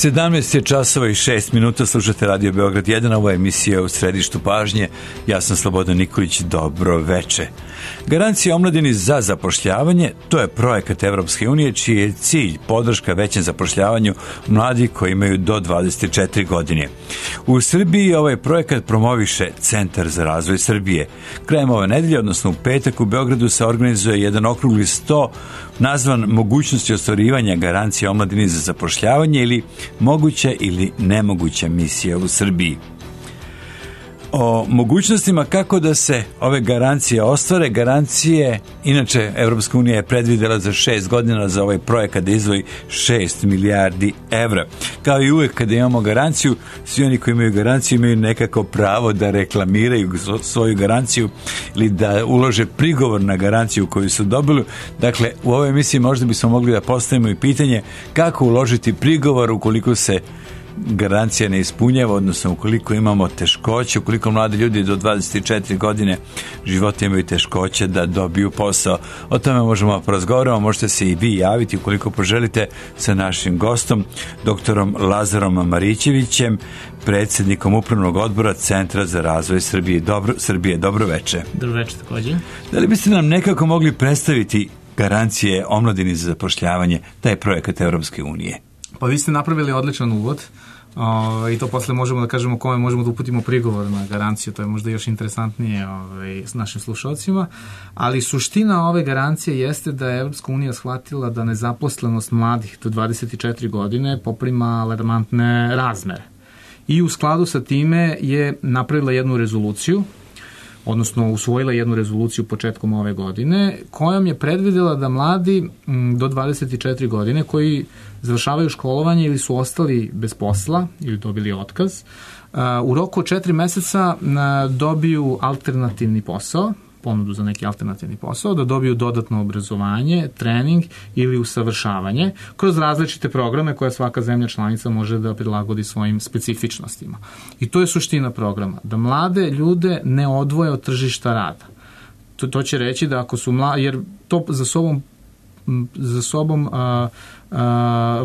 17 je časova i 6 minuta, slušate Radio Beograd 1, ovo je emisija U središtu pažnje. Ja sam Slobodan Nikolić, dobro veče. Garancija omladini za zapošljavanje, to je projekat Evropske unije čiji je cilj podrška većem zapošljavanju mladih koji imaju do 24 godine. U Srbiji ovaj projekat promoviše Centar za razvoj Srbije. Krajem ove nedelje, odnosno u petak, u Beogradu se organizuje jedan okrugli sto nazvan mogućnosti ostvarivanja garancije omladini za zapošljavanje ili moguća ili nemoguća misija u Srbiji. O mogućnostima kako da se ove garancije ostvare, garancije, inače Evropska unija je predvidela za 6 godina za ovaj projekat da izdvoji 6 milijardi evra. Kao i uvek kada imamo garanciju, svi oni koji imaju garanciju imaju nekako pravo da reklamiraju svoju garanciju ili da ulože prigovor na garanciju koju su dobili. Dakle, u ovoj emisiji možda bismo mogli da postavimo i pitanje kako uložiti prigovor ukoliko se garancija ne ispunjava, odnosno ukoliko imamo teškoće, ukoliko mladi ljudi do 24 godine života imaju teškoće da dobiju posao. O tome možemo porazgovarati, možete se i vi javiti ukoliko poželite sa našim gostom, doktorom Lazarom Marićevićem, predsjednikom Upravnog odbora Centra za razvoj Srbije. Dobro veče. Dobro veče također. Da li biste nam nekako mogli predstaviti garancije omladini za zapošljavanje, taj projekat Evropske unije? Pa vi ste napravili odličan uvod i to posle možemo da kažemo kome možemo da uputimo prigovor na garanciju, to je možda još interesantnije s našim slušalcima, ali suština ove garancije jeste da je Evropska unija shvatila da nezaposlenost mladih do 24 godine poprima alarmantne razmere i u skladu sa time je napravila jednu rezoluciju, odnosno usvojila jednu rezoluciju početkom ove godine, kojom je predvidela da mladi do 24 godine koji završavaju školovanje ili su ostali bez posla ili dobili otkaz, u roku od 4 meseca dobiju alternativni posao, ponudu za neki alternativni posao, da dobiju dodatno obrazovanje, trening ili usavršavanje kroz različite programe koje svaka zemlja članica može da prilagodi svojim specifičnostima. I to je suština programa, da mlade ljude ne odvoje od tržišta rada. To će reći da ako su mladi, jer to za sobom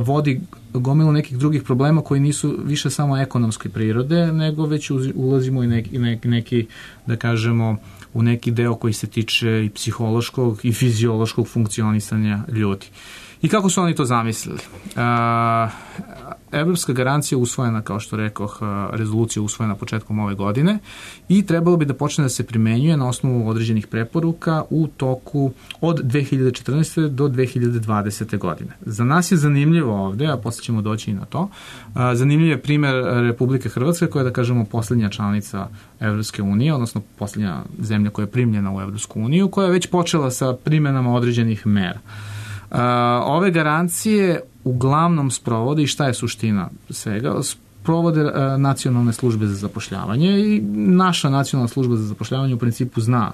vodi gomilu nekih drugih problema koji nisu više samo ekonomske prirode, nego već ulazimo i neki, da kažemo, u neki deo koji se tiče i psihološkog i fiziološkog funkcionisanja ljudi. I kako su oni to zamislili? Evropska garancija usvojena, kao što rekoh, rezolucija usvojena početkom ove godine i trebalo bi da počne da se primenjuje na osnovu određenih preporuka u toku od 2014. do 2020. godine. Za nas je zanimljivo ovde, a posle ćemo doći i na to, zanimljiv je primer Republike Hrvatske koja je, da kažemo, poslednja članica Evropske unije, odnosno poslednja zemlja koja je primljena u Evropsku uniju, koja je već počela sa primenama određenih mera. Ove garancije uglavnom sprovode, i šta je suština svega, sprovode nacionalne službe za zapošljavanje i naša nacionalna služba za zapošljavanje u principu zna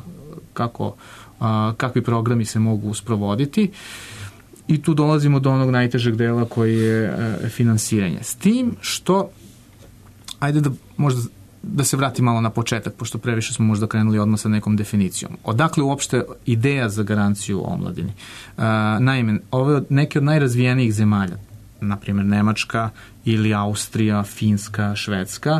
kakvi programi se mogu sprovoditi i tu dolazimo do onog najtežeg dela koji je finansiranje. S tim što, ajde da možda da se vrati malo na početak, pošto previše smo možda krenuli odmah sa nekom definicijom. Odakle uopšte ideja za garanciju omladini? Naime, ove neke od najrazvijenijih zemalja, na primjer Nemačka ili Austrija, Finska, Švedska,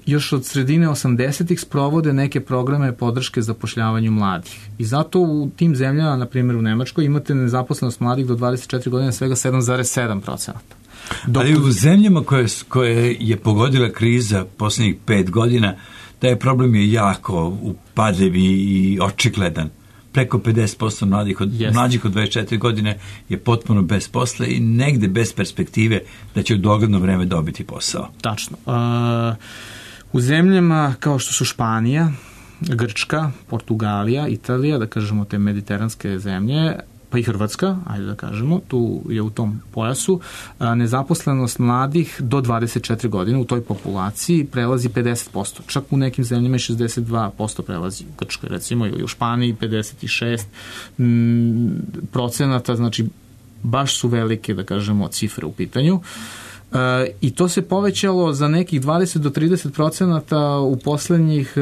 još od sredine 80-ih sprovode neke programe podrške zapošljavanju mladih. I zato u tim zemljama, na primjer u Nemačkoj, imate nezaposlenost mladih do 24 godine svega 7,7%. Ali u zemljama koje je pogodila kriza posljednjih 5 godina, taj problem je jako upadljiv i očigledan. Preko 50% mlađih od 24 godine je potpuno bez posla i negde bez perspektive da će u dogledno vreme dobiti posao. Tačno. U zemljama kao što su Španija, Grčka, Portugalija, Italija, da kažemo te mediteranske zemlje, pa i Hrvatska, ajde da kažemo, tu je u tom pojasu, nezaposlenost mladih do 24 godine u toj populaciji prelazi 50%. Čak u nekim zemljama 62% prelazi. U Grčkoj recimo ili u Španiji 56%, znači baš su velike, da kažemo, cifre u pitanju. I to se povećalo za nekih 20 do 30% u poslednjih,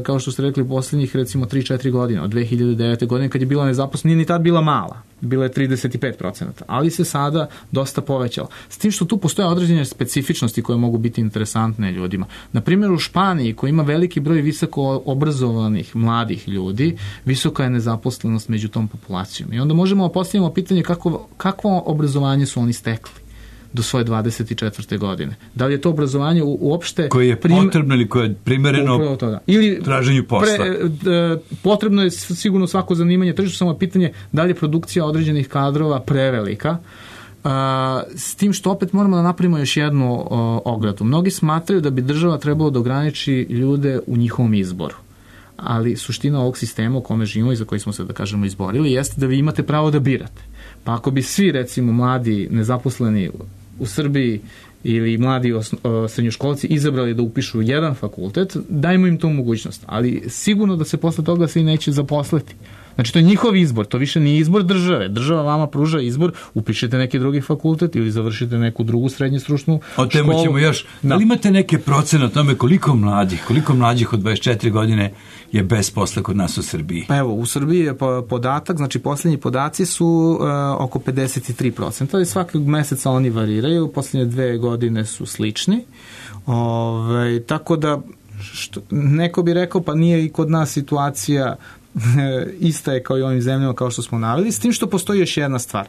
kao što ste rekli, poslednjih recimo 3-4 godine, od 2009. godine kad je bila nezaposlenost, nije ni tad bila mala. bilo je 35%, ali se sada dosta povećalo. S tim što tu postoje određene specifičnosti koje mogu biti interesantne ljudima. Na primjer, u Španiji, koji ima veliki broj visoko obrazovanih mladih ljudi, visoka je nezaposlenost među tom populacijom. I onda možemo postaviti pitanje kakvo obrazovanje su oni stekli do svoje 24. godine. Da li je to obrazovanje uopšte... Koje je potrebno ili koje je primereno ili traženju posla? Potrebno je sigurno svako zanimanje tržištu, samo pitanje da li je produkcija određenih kadrova prevelika. S tim što opet moramo da napravimo još jednu ogradu. Mnogi smatraju da bi država trebalo da ograniči ljude u njihovom izboru. Ali suština ovog sistema u kome živimo i za koji smo se, da kažemo, izborili jeste da vi imate pravo da birate. Pa ako bi svi, recimo, mladi nezaposleni u Srbiji ili mladi srednjoškolci izabrali da upišu jedan fakultet, dajmo im tu mogućnost. Ali sigurno da se posle toga svi neće zaposliti. Znači, to je njihov izbor, to više nije izbor države. Država vama pruža izbor, upišete neki drugi fakultet ili završite neku drugu srednje stručnu školu. O temu ćemo još. Da li imate neke procene o tome koliko mlađih od 24 godine je bez posla kod nas u Srbiji? Pa evo, u Srbiji je podatak, znači posljednji podaci su oko 53%, ali svakog meseca oni variraju, posljednje 2 godine su slični. Tako da, neko bi rekao, pa nije i kod nas situacija ista je kao i ovim zemljama kao što smo naveli, s tim što postoji još jedna stvar.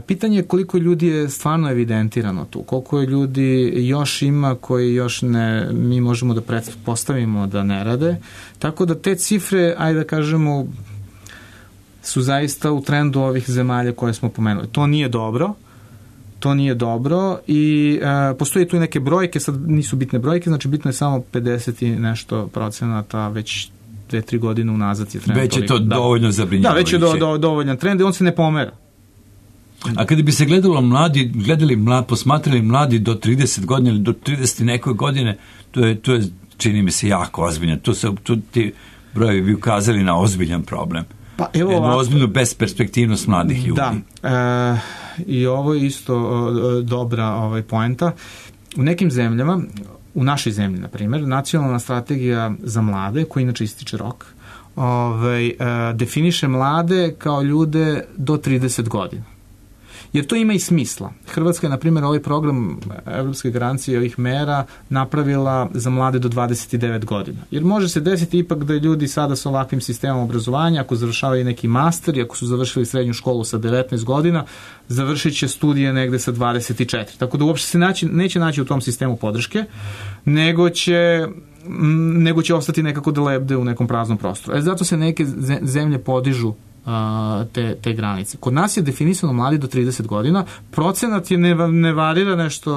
Pitanje je koliko ljudi je stvarno evidentirano tu, koliko je ljudi još ima koji još ne, mi možemo da pretpostavimo da ne rade, tako da te cifre, ajde da kažemo, su zaista u trendu ovih zemalja koje smo pomenuli. To nije dobro i postoje tu i neke brojke, sad nisu bitne brojke, znači bitno je samo 50 i nešto procenata već 2-3 godine unazad je trend. Već je to dovoljno zabrinjavajuće. Da, već je dovoljan trend i on se ne pomera. A kada bi se posmatrali mladi do 30 godina ili do 30 nekoj godine, to je čini mi se jako ozbiljno. Tu ti brojevi bi ukazali na ozbiljan problem. Pa evo jednu ozbiljnu besperspektivnost mladih ljudi. Da, i ovo je isto dobra poenta. U nekim zemljama, u našoj zemlji, na primjer, nacionalna strategija za mlade, koja inače ističe rok, definiše mlade kao ljude do 30 godina. Jer to ima i smisla. Hrvatska je, na primjer, ovaj program Evropske garancije ovih mera napravila za mlade do 29 godina. Jer može se desiti ipak da ljudi sada sa ovakvim sistemom obrazovanja, ako završavaju neki master i ako su završili srednju školu sa 19 godina, završit će studije negde sa 24. Tako da uopšte se neće naći u tom sistemu podrške, nego će ostati nekako da lebde u nekom praznom prostoru. Zato se neke zemlje podižu te granice. Kod nas je definisano mladi do 30 godina, procenat je ne varira nešto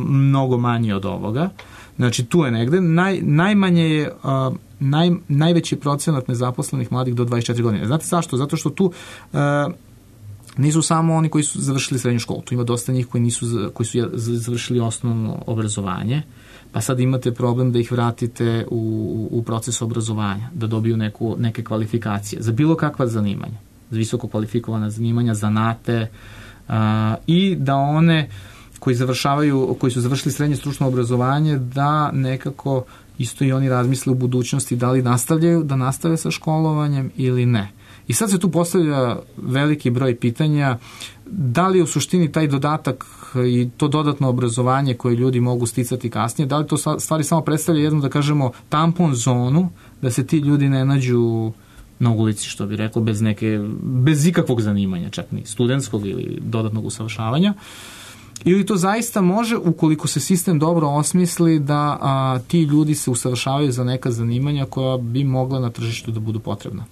mnogo manje od ovoga, znači tu je negde, najmanje je najveći procenat nezaposlenih mladih do 24 godine. Znate zašto? Zato što tu nisu samo oni koji su završili srednju školu, tu ima dosta njih koji su završili osnovno obrazovanje, pa sad imate problem da ih vratite u proces obrazovanja, da dobiju neke kvalifikacije za bilo kakva zanimanja, za visoko kvalifikovana zanimanja, zanate, i da one koji su završili srednje stručno obrazovanje, da nekako isto i oni razmisle u budućnosti da li nastave sa školovanjem ili ne. I sad se tu postavlja veliki broj pitanja, da li u suštini taj dodatak i to dodatno obrazovanje koje ljudi mogu sticati kasnije, da li to stvari samo predstavlja jednu, da kažemo, tampon zonu, da se ti ljudi ne nađu na ulici, što bi rekao, bez ikakvog zanimanja, čak ni studentskog ili dodatnog usavršavanja, ili to zaista može, ukoliko se sistem dobro osmisli, da ti ljudi se usavršavaju za neka zanimanja koja bi mogla na tržištu da budu potrebna.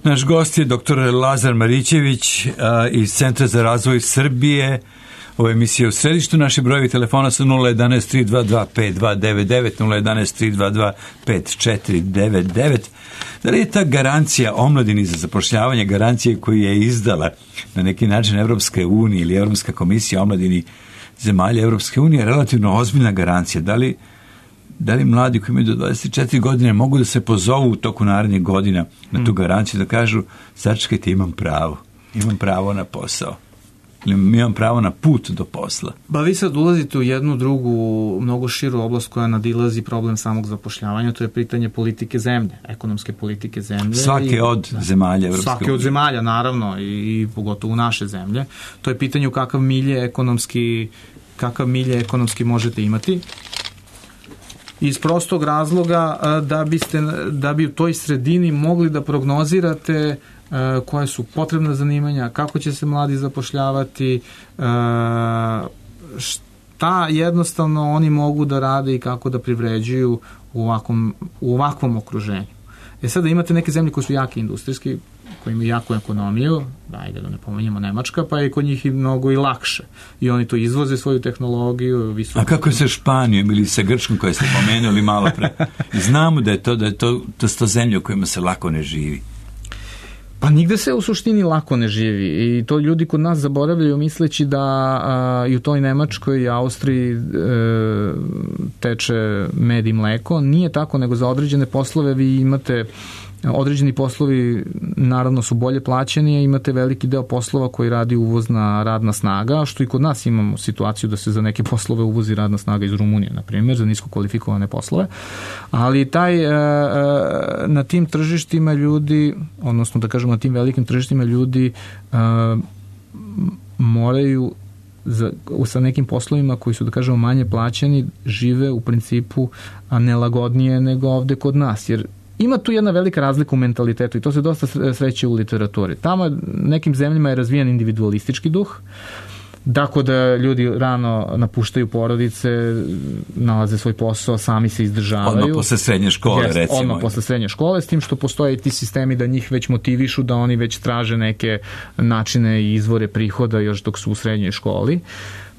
Naš gost je dr. Lazar Marićević iz Centra za razvoj Srbije. Ovo je emisija u središtu. Naši brojevi telefona su 011 322 5299, 011 322 5499. Da li je ta garancija omladini za zapošljavanje, garancije koju je izdala na neki način Evropske unije ili Evropska komisija omladini zemalja Evropske unije relativno ozbiljna garancija? Da li mladi koji imaju do 24 godine mogu da se pozovu u toku narednih godina na tu garanciju, da kažu, sačekajte, imam pravo na posao? Ili mi imam pravo na put do posla? Ba vi sad ulazite u jednu drugu, mnogo širu oblast koja nadilazi problem samog zapošljavanja, to je pitanje politike zemlje, ekonomske politike zemlje. Svake od zemalja Evropske unije. Svake od zemalja, naravno, i pogotovo naše zemlje. To je pitanje u kakav milje ekonomski možete imati. Iz prostog razloga da bi u toj sredini mogli da prognozirate koje su potrebna zanimanja, kako će se mladi zapošljavati, šta jednostavno oni mogu da rade i kako da privređuju u ovakvom okruženju. Sada imate neke zemlje koje su jake industrijski, koji imaju jaku ekonomiju, ajde da ne pomenjamo Nemačka, pa je kod njih i mnogo i lakše. I oni to izvoze svoju tehnologiju. A kako je sa Španijom ili sa Grčkom koje ste pomenuli malo pre? Znamo da je to zemlje u kojima se lako ne živi. Pa nigde se u suštini lako ne živi i to ljudi kod nas zaboravljaju misleći da i u toj Nemačkoj i Austriji teče med i mleko. Nije tako, nego za određene poslove vi imate određeni poslovi naravno su bolje plaćeni, a imate veliki deo poslova koji radi uvozna radna snaga, što i kod nas imamo situaciju da se za neke poslove uvozi radna snaga iz Rumunije, na primjer, za nisko kvalifikovane poslove, ali na tim tržištima ljudi, odnosno da kažemo na tim velikim tržištima ljudi moraju sa nekim poslovima koji su, da kažemo, manje plaćeni, žive u principu nelagodnije nego ovde kod nas, jer ima tu jedna velika razlika u mentalitetu i to se dosta sreće u literaturi. Tamo nekim zemljama je razvijen individualistički duh, tako da ljudi rano napuštaju porodice, nalaze svoj posao, sami se izdržavaju. Odmah posle srednje škole, recimo. Odmah posle srednje škole, s tim što postoje ti sistemi da njih već motivišu, da oni već traže neke načine i izvore prihoda još dok su u srednjoj školi.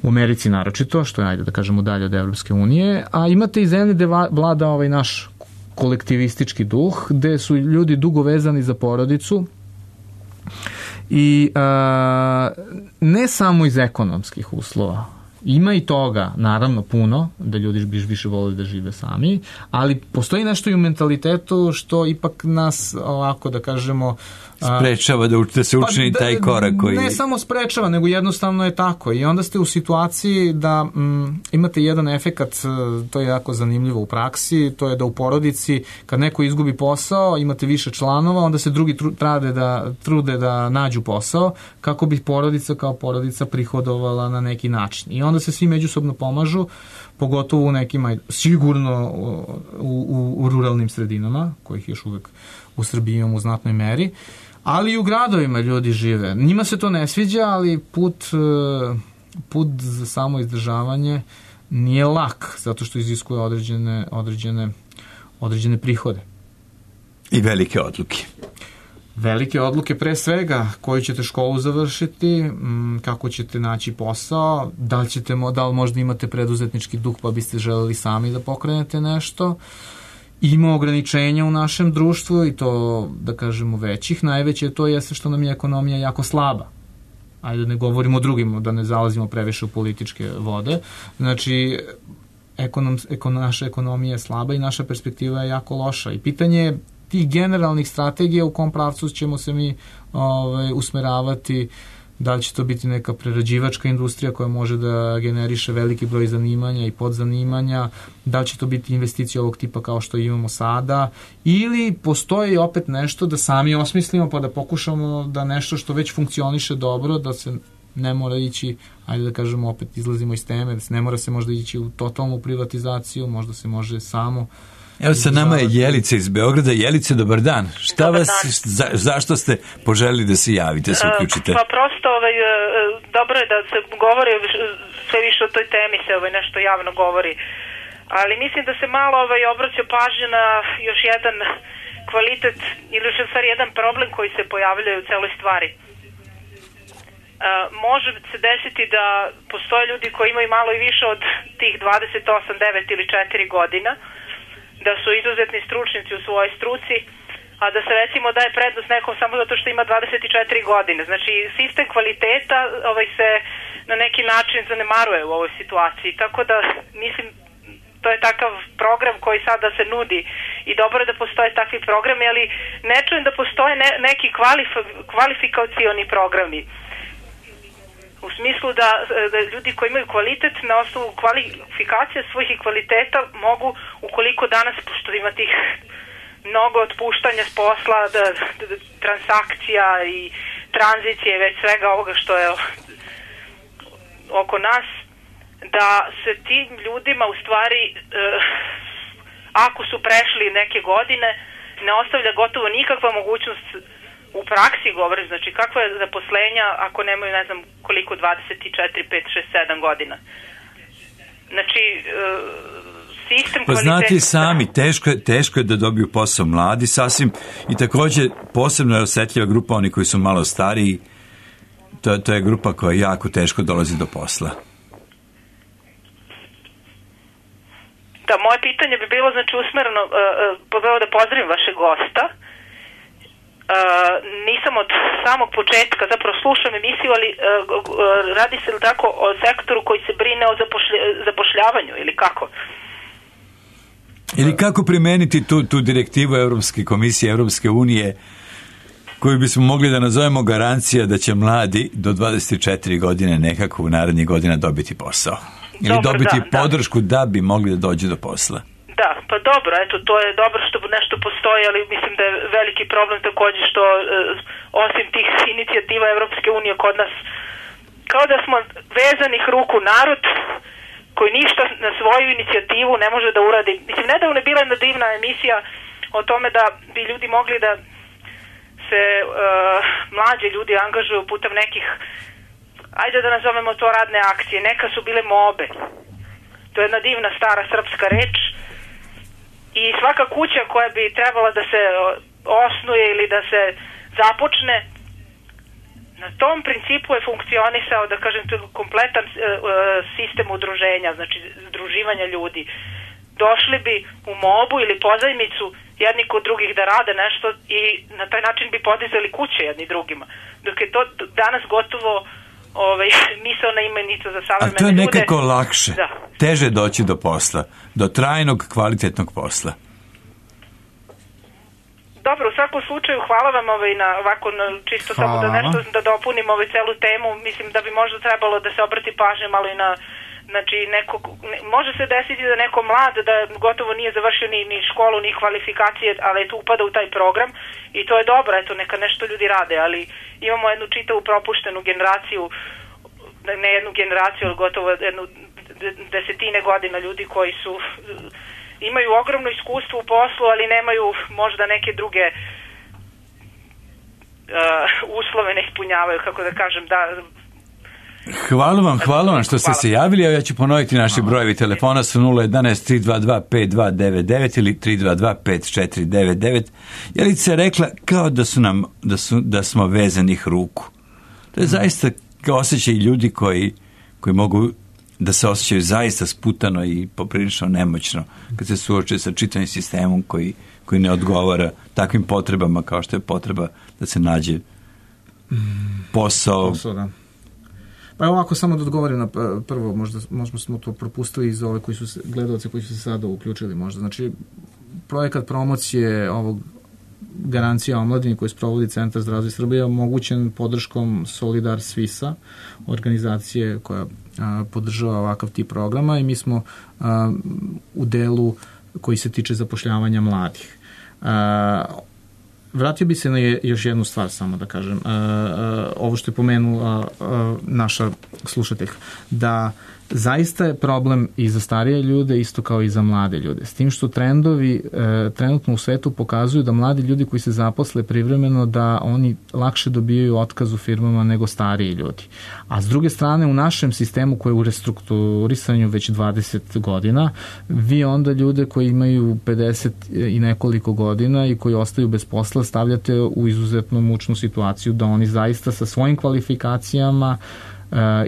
U Americi naročito, što je, ajde da kažemo, dalje od Evropske unije, a imate i zemlje gde vlada ovaj naš kolektivistički duh, gde su ljudi dugo vezani za porodicu i ne samo iz ekonomskih uslova. Ima i toga, naravno, puno, da ljudi bi više volili da žive sami, ali postoji nešto i u mentalitetu što ipak nas, ovako da kažemo, sprečava da se učini taj korak koji... Ne samo sprečava, nego jednostavno je tako. I onda ste u situaciji da imate jedan efekat, to je jako zanimljivo u praksi, to je da u porodici, kad neko izgubi posao, imate više članova, onda se drugi trude da nađu posao, kako bi porodica kao porodica prihodovala na neki način. I onda se svi međusobno pomažu, pogotovo u nekima, sigurno u ruralnim sredinama, kojih još uvek u Srbiji imamo u znatnoj meri, ali i u gradovima ljudi žive. Njima se to ne sviđa, ali put za samo izdržavanje nije lak, zato što iziskuje određene prihode. I velike odluke. Velike odluke pre svega, koju ćete školu završiti, kako ćete naći posao, da li možda imate preduzetnički duh pa biste želeli sami da pokrenete nešto. Ima ograničenja u našem društvu i to, da kažemo, većih. Najveće to jeste što nam je ekonomija jako slaba. Ajde da ne govorimo o drugim, da ne zalazimo previše u političke vode. Znači, naša ekonomija je slaba i naša perspektiva je jako loša. I pitanje je tih generalnih strategija u kom pravcu ćemo se mi usmeravati, da li će to biti neka prerađivačka industrija koja može da generiše veliki broj zanimanja i podzanimanja, da li će to biti investicije ovog tipa kao što imamo sada, ili postoji opet nešto da sami osmislimo pa da pokušamo da nešto što već funkcioniše dobro, da se ne mora ići, ajde da kažemo, opet izlazimo iz teme, da se ne mora se možda ići u totalnu privatizaciju, možda se može samo. Evo sa nama je Jelica iz Beograda. Jelice, dobar dan. Zašto ste poželili da se javite, se uključite? Pa prosto dobro je da se govori sve više o toj temi, se nešto javno govori. Ali mislim da se malo obraća pažnja na još jedan kvalitet ili još jedan problem koji se pojavljaju u celoj stvari. Može se desiti da postoje ljudi koji imaju malo i više od tih 28, 9 ili 4 godina, da su izuzetni stručnici u svojoj struci, a da se recimo daje prednost nekom samo zato što ima 24 godine. Znači, sistem kvaliteta se na neki način zanemaruje u ovoj situaciji. Tako da, mislim, to je takav program koji sada se nudi i dobro je da postoje takvi programi, ali ne čujem da postoje neki kvalifikacioni programi. U smislu da ljudi koji imaju kvalitet na osnovu kvalifikacija svojih i kvaliteta mogu, ukoliko danas, pošto ima tih mnogo otpuštanja s posla, transakcija i tranzicije, već svega ovoga što je oko nas, da se tim ljudima u stvari, ako su prešli neke godine, ne ostavlja gotovo nikakva mogućnost u praksi, govorim, znači kakva je zaposlenja ako nemaju, ne znam koliko, 24, 5, 6, 7 godina. Znači, sistem pa znate i sami, teško je da dobiju posao mladi sasvim, i također posebno je osjetljiva grupa oni koji su malo stariji, to je grupa koja jako teško dolazi do posla. Da, moje pitanje bi bilo, znači, usmereno, prvo da pozdravim vašeg gosta. Nisam od samog početka, zapravo slušam emisiju, ali radi se li tako o sektoru koji se brine o zapošljavanju ili kako? Ili kako primeniti tu direktivu Europske komisije, Europske unije, koju bismo mogli da nazovemo garancija da će mladi do 24 godine nekako u narednih godina dobiti posao. Ili dobiti podršku da bi mogli da dođu do posla. Da, pa dobro, eto, to je dobro što nešto postoji, ali mislim da je veliki problem također što osim tih inicijativa Evropske unije kod nas, kao da smo vezanih ruku narod koji ništa na svoju inicijativu ne može da uradi. Mislim, nedavno je bila jedna divna emisija o tome da bi ljudi mogli da se mlađi ljudi angažuju putem nekih, ajde da nazovemo to radne akcije, neka su bile mobe. To je jedna divna stara srpska reč. I svaka kuća koja bi trebala da se osnuje ili da se započne, na tom principu je funkcionisao, da kažem, kompletan sistem udruženja, znači združivanja ljudi. Došli bi u mobu ili pozajmicu jedni kod drugih da rade nešto i na taj način bi podizali kuće jedni drugima. Dok je to danas gotovo misaona imenica za savremene ljude. A to je nekako lakše, teže doći do posla, do trajnog, kvalitetnog posla. Dobro, u svakom slučaju hvala vam na ovako čisto samo da nešto da dopunim celu temu. Mislim da bi možda trebalo da se obrati pažnje malo i na, znači, može se desiti da neko mlad da gotovo nije završio ni školu, ni kvalifikacije, ali eto upada u taj program i to je dobro, eto neka nešto ljudi rade, ali imamo jednu čitavu propuštenu generaciju, ne jednu generaciju, ali gotovo jednu desetine godina ljudi koji su imaju ogromno iskustvo u poslu, ali nemaju možda neke druge uslove ne ispunjavaju, kako da kažem, da. Hvala vam što ste se javili. Ja ću ponoviti naši brojevi telefona su 011 322 5299 ili 322 5499. Jelica je rekla kao da smo vezanih ruku. To je zaista kao osjećaj ljudi koji mogu da se osjećaju zaista sputano i poprilično nemoćno kad se suoče sa čitavim sistemom koji ne odgovara takvim potrebama kao što je potreba da se nađe posao. Da. Pa ovako samo da odgovorim na prvo, možda smo to propustili iz ove gledalce koji su se sada uključili možda. Znači, projekat promocije ovog garancija omladini koji sprovodi Centar za razvoj Srbije je omogućen podrškom Solidar Svisa, organizacije koja podržava ovakav tip programa, i mi smo u delu koji se tiče zapošljavanja mladih. Vratio bi se na još jednu stvar samo da kažem, ovo što je pomenula naša slušateljka, da zaista je problem i za starije ljude isto kao i za mlade ljude. S tim što trendovi trenutno u svetu pokazuju da mladi ljudi koji se zaposle privremeno da oni lakše dobijaju otkaz u firmama nego stariji ljudi. A s druge strane u našem sistemu koji je u restrukturisanju već 20 godina, vi onda ljude koji imaju 50 i nekoliko godina i koji ostaju bez posla stavljate u izuzetno mučnu situaciju da oni zaista sa svojim kvalifikacijama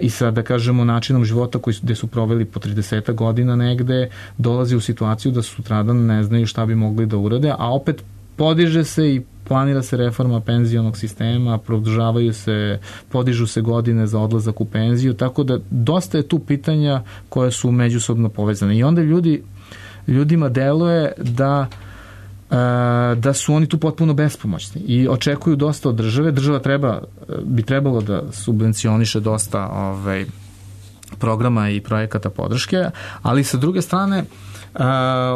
i sa, da kažemo, načinom života gde su proveli po 30 godina negde, dolazi u situaciju da sutradan ne znaju šta bi mogli da urade, a opet podiže se i planira se reforma penzionog sistema, podižu se godine za odlazak u penziju, tako da dosta je tu pitanja koje su međusobno povezane. I onda ljudima deluje da da su oni tu potpuno bespomoćni i očekuju dosta od države. Država bi trebalo da subvencioniše dosta programa i projekata podrške, ali sa druge strane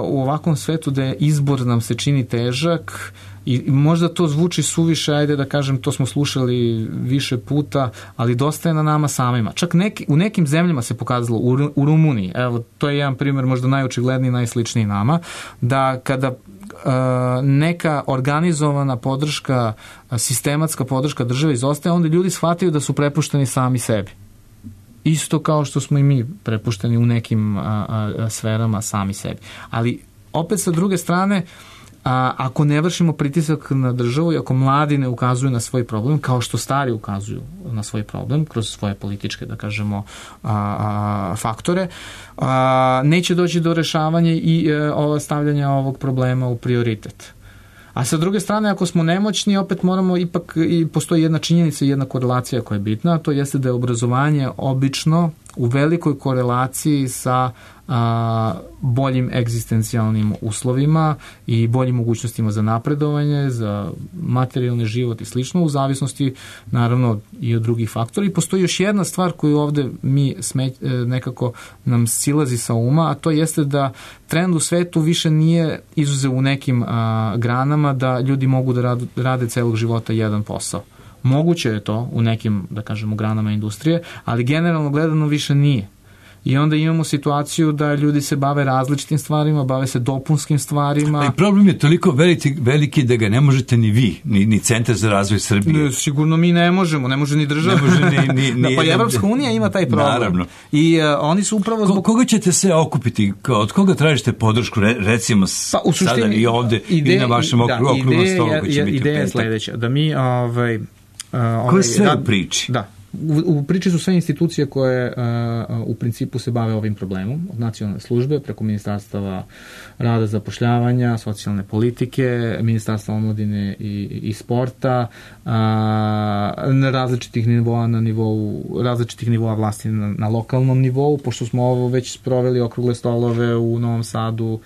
u ovakvom svetu da je izbor nam se čini težak i možda to zvuči suviše, ajde da kažem, to smo slušali više puta, ali dosta je na nama samima. Čak u nekim zemljama se pokazalo, u Rumuniji, evo, to je jedan primjer možda najočigledniji, najsličniji nama, da kada neka organizovana podrška, sistematska podrška države izostaje, onda ljudi shvataju da su prepušteni sami sebi. Isto kao što smo i mi prepušteni u nekim sferama sami sebi. Ali opet sa druge strane, ako ne vršimo pritisak na državu i ako mladi ne ukazuju na svoj problem, kao što stari ukazuju na svoj problem, kroz svoje političke, da kažemo, faktore, neće doći do rešavanja i stavljanja ovog problema u prioritet. A sa druge strane, ako smo nemoćni, opet moramo ipak, i postoji jedna činjenica i jedna korelacija koja je bitna, a to jeste da je obrazovanje obično u velikoj korelaciji sa boljim egzistencijalnim uslovima i boljim mogućnostima za napredovanje, za materijalni život i slično, u zavisnosti naravno i od drugih faktora. I postoji još jedna stvar koju ovde nekako nam silazi sa uma, a to jeste da trend u svetu više nije izuzev u nekim granama da ljudi mogu da rade celog života jedan posao. Moguće je to u nekim, da kažemo, granama industrije, ali generalno gledano više nije. I onda imamo situaciju da ljudi se bave različitim stvarima, bave se dopunskim stvarima. I problem je toliko veliki da ga ne možete ni vi, ni Centar za razvoj Srbije. Sigurno mi ne možemo, ne može ni država. Ne može ni pa i Evropska unija ima taj problem. Naravno. I oni su upravo zbog... Koga ćete se okupiti? Od koga tražite podršku, recimo sada i ovde i na vašem okruglom stolu koji će biti ideja je sledeća, da mi... Ko je sve u priči? Da. U priči su sve institucije koje u principu se bave ovim problemom, od nacionalne službe, preko ministarstava rada, zapošljavanja, socijalne politike, ministarstva omladine i sporta, na različitih nivoa vlasti na lokalnom nivou, pošto smo ovo već sproveli okrugle stolove u Novom Sadu,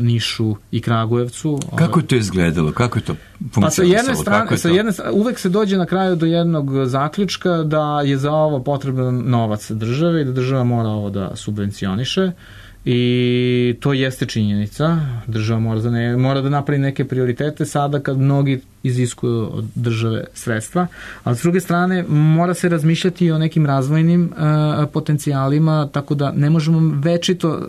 Nišu i Kragujevcu. Kako je to izgledalo? Kako je to funkcionisalo? Sa jedne strane, uvek se dođe na kraju do jednog zaključka da je za ovo potreban novac države i da država mora ovo da subvencioniše. I to jeste činjenica. Država mora da napravi neke prioritete sada kad mnogi iziskuju od države sredstva, ali s druge strane mora se razmišljati i o nekim razvojnim potencijalima, tako da ne možemo večito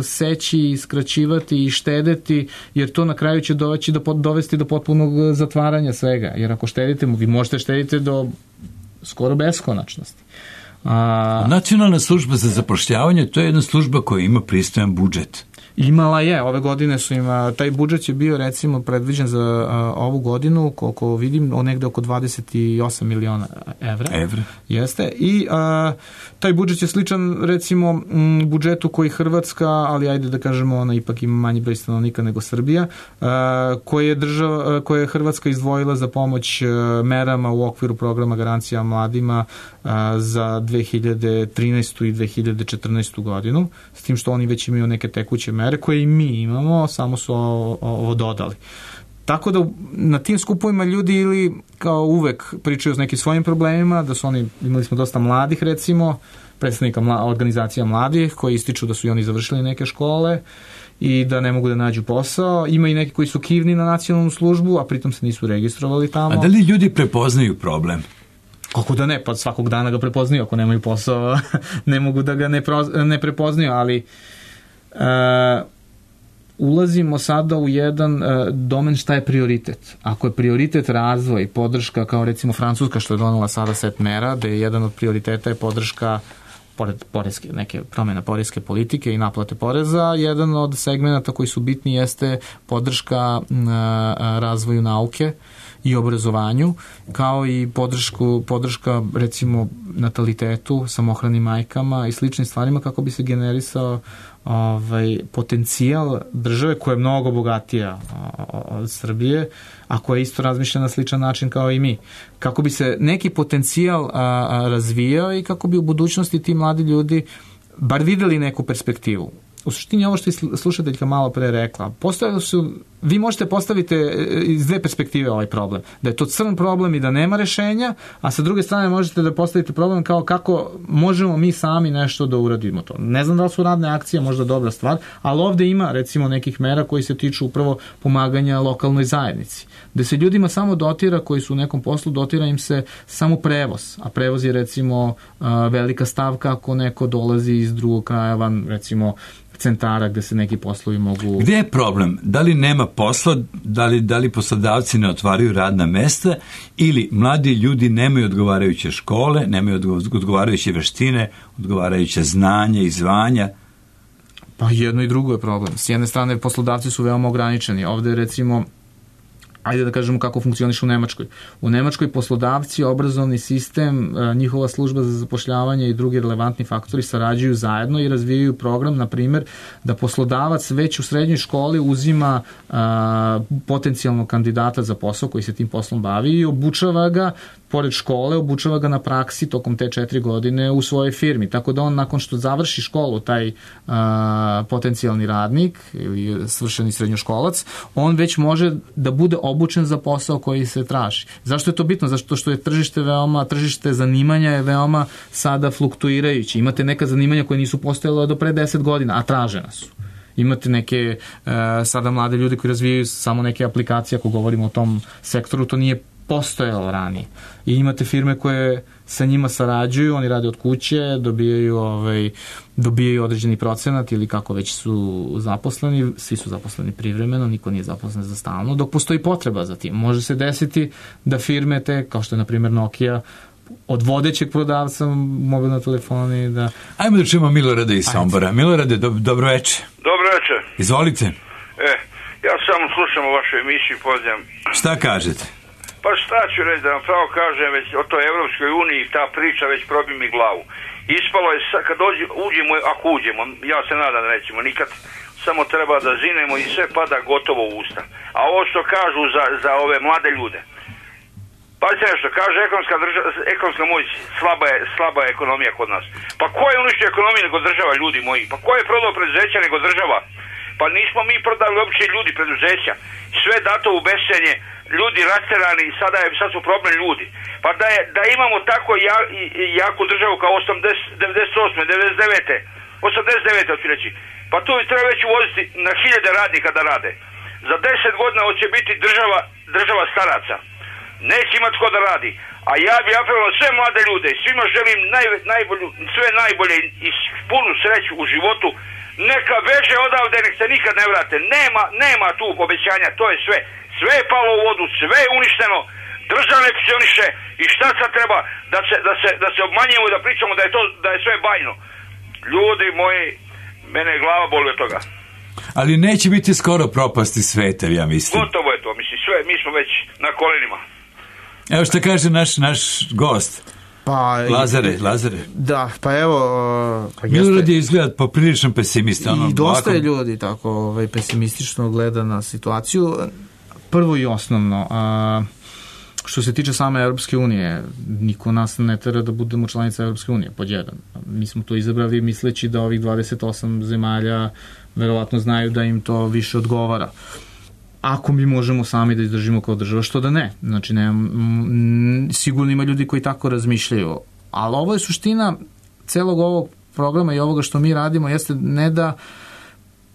seći, skraćivati i štedeti, jer to na kraju će dovesti do potpunog zatvaranja svega. Jer ako štedite, vi možete štediti do skoro beskonačnosti. Nacionalna služba za zapošljavanje, to je jedna služba koja ima pristojan budžet. Imala je, ove godine taj budžet je bio recimo predviđen za ovu godinu, koliko vidim, negde oko 28 miliona evra. Jeste. I taj budžet je sličan recimo budžetu koji Hrvatska, ali ajde da kažemo ona ipak ima manji broj stanovnika nego Srbija, koje je Hrvatska izdvojila za pomoć merama u okviru programa Garancija mladima za 2013. i 2014. godinu, s tim što oni već imaju neke tekuće mere koje i mi imamo, samo su ovo dodali. Tako da na tim skupovima ljudi ili kao uvek pričaju o nekim svojim problemima, da su oni, imali smo dosta mladih recimo, predstavnika organizacija mladih koji ističu da su i oni završili neke škole i da ne mogu da nađu posao. Ima i neki koji su kivni na nacionalnu službu, a pritom se nisu registrovali tamo. A da li ljudi prepoznaju problem? Kako da ne, pa svakog dana ga prepoznaju, ako nemaju posao ne mogu da ga ne prepoznaju, ali ulazimo sada u jedan domen šta je prioritet. Ako je prioritet razvoj, podrška, kao recimo Francuska što je donela sada set mera, da je jedan od prioriteta je podrška pored neke promjena poreske politike i naplate poreza, jedan od segmenata koji su bitni jeste podrška razvoju nauke i obrazovanju, kao i podrška recimo natalitetu, samohranim majkama i sličnim stvarima kako bi se generisao potencijal države koja je mnogo bogatija od Srbije, a koja isto razmišlja na sličan način kao i mi. Kako bi se neki potencijal razvijao i kako bi u budućnosti ti mladi ljudi bar videli neku perspektivu. u suštini ovo što je slušateljka malo pre rekla, vi možete postaviti iz dve perspektive ovaj problem. Da je to crn problem i da nema rešenja, a sa druge strane možete da postavite problem kao kako možemo mi sami nešto da uradimo to. Ne znam da li su radne akcije možda dobra stvar, ali ovde ima recimo nekih mera koji se tiču upravo pomaganja lokalnoj zajednici. Da se ljudima samo dotira, koji su u nekom poslu, dotira im se samo prevoz, a prevoz je recimo velika stavka ako neko dolazi iz drugog kraja van recimo centara gde se neki poslovi mogu... Gde je problem? Da li nema posla, da li poslodavci ne otvaraju radna mesta ili mladi ljudi nemaju odgovarajuće škole, nemaju odgovarajuće veštine, odgovarajuće znanje i zvanja? Pa jedno i drugo je problem. S jedne strane poslodavci su veoma ograničeni. Ovde recimo, ajde da kažemo kako funkcioniše u Nemačkoj. U Nemačkoj poslodavci, obrazovni sistem, njihova služba za zapošljavanje i drugi relevantni faktori sarađuju zajedno i razvijaju program, na primjer, da poslodavac već u srednjoj školi uzima potencijalnog kandidata za posao koji se tim poslom bavi i obučava ga, pored škole, obučava ga na praksi tokom te 4 godine u svojoj firmi. Tako da on nakon što završi školu, taj potencijalni radnik ili svršeni srednjoškolac, on već može da bude obučen za posao koji se traži. Zašto je to bitno? Zato što je tržište zanimanja je veoma sada fluktuirajući. Imate neka zanimanja koje nisu postojala do pre 10 godina, a tražena su. Imate neke sada mlade ljude koji razvijaju samo neke aplikacije, ako govorimo o tom sektoru, to nije postojalo ranije. I imate firme koje sa njima sarađuju, oni rade od kuće, dobijaju određeni procenat ili kako već su zaposleni, svi su zaposleni privremeno, niko nije zaposlen za stalno, dok postoji potreba za tim. Može se desiti da firme te, kao što je na primjer Nokia, od vodećeg prodavca mobilne telefoni da... Ajmo da čujemo Milorada iz Sombora. Milorade, dobro veče. Dobro veče. Izvolite. Ja samo slušam o vašoj emisiji, pozdravljam. Šta kažete? Pa šta ću reći, da vam pravo kažem, već o toj Evropskoj uniji ta priča već probi mi glavu. Ispalo je, kad uđemo, ako uđemo, ja se nadam da nećemo nikad, samo treba da zinemo i sve pada gotovo u usta. A ovo što kažu za ove mlade ljude, pazite nešto, kaže ekonomska moć, slaba je ekonomija kod nas. Pa ko je uništio ekonomiju nego država, ljudi moji? Pa ko je prodao preduzeća nego država? Pa nismo mi prodali uopće ljudi preduzeća. Sve dato u bescenje, ljudi rasterani, sad su problem ljudi. Pa da imamo tako jaku državu kao 98. 89. hoću reći. Pa tu treba već uvoziti na 1000 radnika da rade. Za 10 godina hoće biti država staraca. Neće imati ko da radi. A ja bih apelovao sve mlade ljude, svima želim sve najbolje i punu sreću u životu. Neka beže odavde, nek se nikad ne vrate. Nema tu obećanja, to je sve. Sve je palo u vodu, sve je uništeno. Država ne funkcioniše i šta sad treba da se obmanjujemo i da pričamo da je sve bajno. Ljudi moji, mene je glava boli od toga. Ali neće biti skoro propasti sveta, ja mislim. Gotovo je to, mislim, sve, mi smo već na kolenima. Evo što kaže naš gost. Lazare. Da, pa evo... Milorad je izgleda poprilično pesimista. I dosta je ljudi tako pesimistično gleda na situaciju. Prvo i osnovno, što se tiče same Europske unije, niko nas ne tera da budemo članica Europske unije, pod jedan. Mi smo to izabrali misleći da ovih 28 zemalja verovatno znaju da im to više odgovara. Ako mi možemo sami da izdržimo kao država, što da ne. Znači, sigurno ima ljudi koji tako razmišljaju. Ali ovo je suština celog ovog programa i ovoga što mi radimo, jeste ne da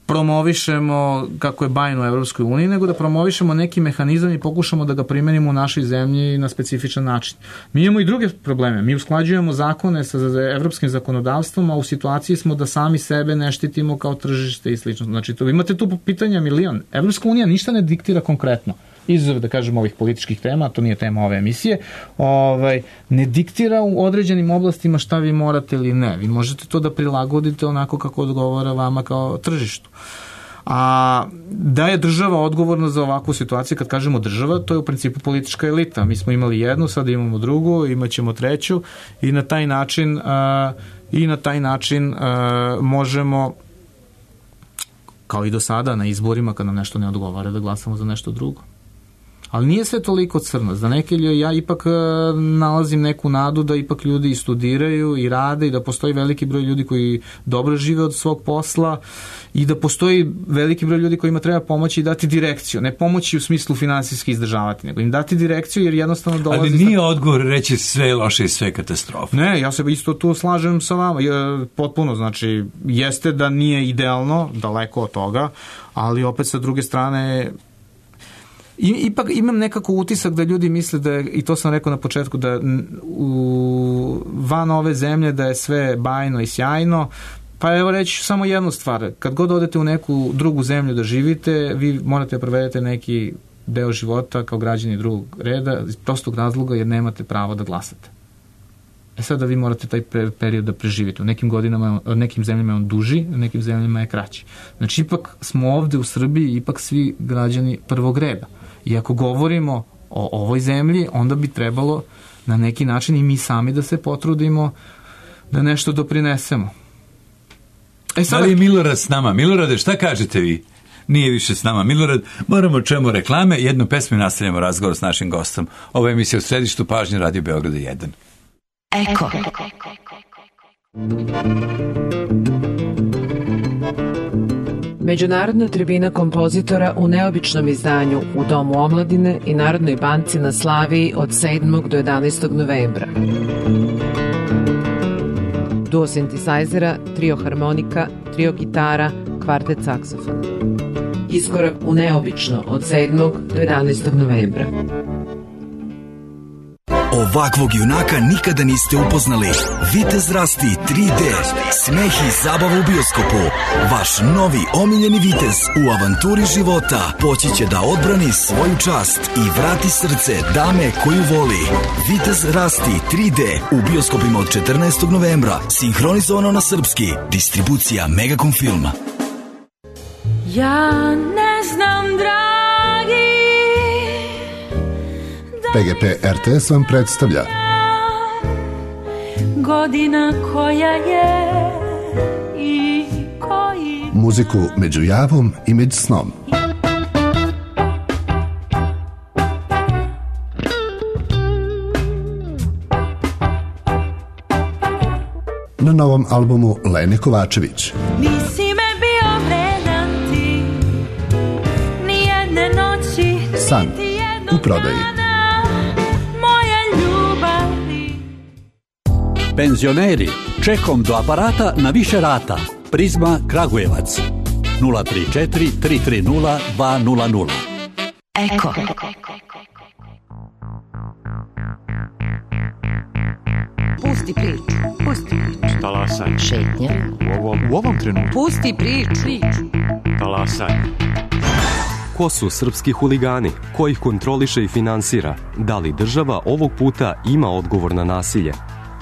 promovišemo kako je bajno u Evropskoj uniji, nego da promovišemo neki mehanizam i pokušamo da ga primenimo u našoj zemlji na specifičan način. Mi imamo i druge probleme. Mi usklađujemo zakone sa evropskim zakonodavstvom, a u situaciji smo da sami sebe ne štitimo kao tržište i slično. Znači, imate tu pitanja milion. Evropska unija ništa ne diktira konkretno. Izuzev, da kažemo, ovih političkih tema, to nije tema ove emisije, ne diktira u određenim oblastima šta vi morate ili ne. Vi možete to da prilagodite onako kako odgovara vama kao tržištu. A da je država odgovorna za ovakvu situaciju, kad kažemo država, to je u principu politička elita. Mi smo imali jednu, sada imamo drugu, imat ćemo treću i na taj način možemo, kao i do sada, na izborima, kad nam nešto ne odgovara, da glasamo za nešto drugo. Ali nije sve toliko crno. Za neke ljudi ja ipak nalazim neku nadu da ipak ljudi i studiraju i rade i da postoji veliki broj ljudi koji dobro žive od svog posla i da postoji veliki broj ljudi kojima treba pomoći i dati direkciju. Ne pomoći u smislu finansijski izdržavati, nego im dati direkciju jer jednostavno dolazi... Ali nije odgovor reći sve loše i sve katastrofe. Ne, ja se isto tu slažem sa vama. Potpuno, znači, jeste da nije idealno, daleko od toga, ali opet sa druge strane... Ipak imam nekako utisak da ljudi misle da je, i to sam rekao na početku, da van ove zemlje da je sve bajno i sjajno. Pa evo reći samo jednu stvar. Kad god odete u neku drugu zemlju da živite, vi morate provedete neki deo života kao građani drugog reda iz prostog razloga jer nemate pravo da glasate. Sada vi morate taj period da preživite. U nekim zemljama je on duži, u nekim zemljama je kraći. Znači, ipak smo ovde u Srbiji ipak svi građani prvog reda. I ako govorimo o ovoj zemlji, onda bi trebalo na neki način i mi sami da se potrudimo da nešto doprinesemo. Da li je Milorad s nama? Milorade, šta kažete vi? Nije više s nama Milorad. Moramo čemu reklame. Jednu pesmu i nastavljamo razgovor s našim gostom. Ovo je emisija u središtu pažnje Radio Beograda 1. Eko. Međunarodna tribina kompozitora u neobičnom izdanju u Domu omladine i Narodnoj banci na Slaviji od 7. do 11. novembra. Duo sintesajzera, trio harmonika, trio gitara, kvartet saksofona. Iskorak u neobično od 7. do 11. novembra. Ovakvog junaka nikada niste upoznali. Vitez Rasti 3D. Smeh i zabava u bioskopu. Vaš novi omiljeni vitez u avanturi života poći će da odbrani svoju čast i vrati srce dame koju voli. Vitez Rasti 3D u bioskopima od 14. novembra. Sinhronizovano na srpski. Distribucija Megacom Filma. Ja ne znam, dragi, PGP RTS vam predstavlja godina koja je i koji muziku među javom i među snom. Na novom albumu Lene Kovačević. Nisi me bio vredan ti, nijedne noći, San u prodaji. Penzioneri, čekom do aparata na više rata. Prizma Kragujevac 034 330 200. Eko. Pusti priču. Pusti priču. Talasaj. Šetnja. U ovom trenutku. Pusti priču. Talasaj. Ko su srpski huligani? Ko ih kontroliše i finansira? Da li država ovog puta ima odgovor na nasilje?